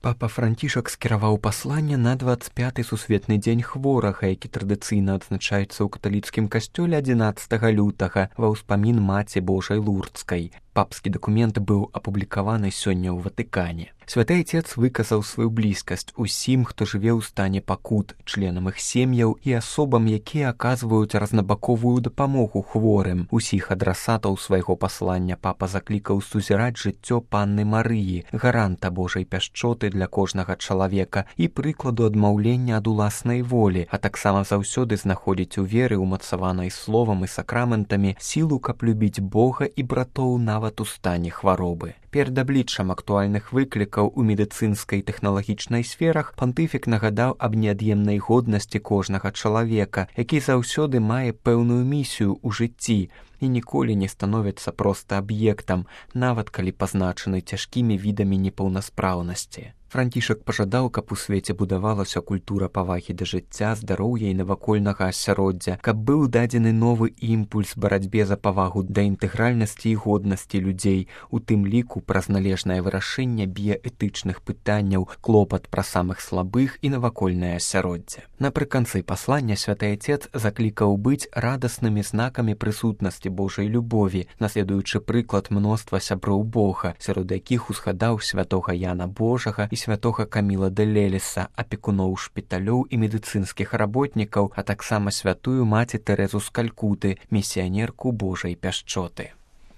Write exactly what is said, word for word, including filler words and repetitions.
Папа Францішак скіраваў пасланне на дваццаць пяты сусветны дзень хворага, які традыцыйна адзначаецца ў каталіцкім касцёле адзінаццатага лютага ва ўспамін Маці Божай Лурдскай. Папскі дакумент быў апублікаваны сёння ў Ватыкане. Святы Айцец выказаў сваю блізкасць усім, хто жыве ў стане пакут, членам іх сем'яў і асобам, якія аказваюць разнабаковую дапамогу хворым. Усіх адрасатаў свайго паслання папа заклікаў сузіраць жыццё Панны Марыі, гаранта Божай пяшчоты для кожнага чалавека і прыкладу адмаўлення ад уласнай волі, а таксама заўсёды знаходзіць у веры, умацаванай словам і сакраментамі, сілу, каб любіць Бога і братоў нават у стане хваробы. Перад абліччам актуальных выклікаў у медыцынскай і тэхналагічнай сферах пантыфік нагадаў аб неад'емнай годнасці кожнага чалавека, які заўсёды мае пэўную місію ў жыцці і ніколі не становіцца проста аб'ектам, нават калі пазначаны цяжкімі відамі непаўнаспраўнасці. Францішак пажадаў, каб у свеце будавалася культура павагі да жыцця, здароўя і навакольнага асяроддзя, каб быў дадзены новы імпульс барацьбе за павагу да інтэгральнасці і годнасці людзей, у тым ліку праз належнае вырашэнне біяэтычных пытанняў, клопат пра самых слабых і навакольнае асяроддзе. Напрыканцы паслання святы Айцец заклікаў быць радаснымі знакамі прысутнасці Божай любові, наследуючы прыклад мноства сяброў Бога, сярод якіх узгадаў святога Яна Божага і святога Каміла де Лелеса, апекуноў шпіталёў і медыцынскіх работнікаў, а таксама святую маці Тэрэзу з Калькуты, місіянерку Божай пяшчоты.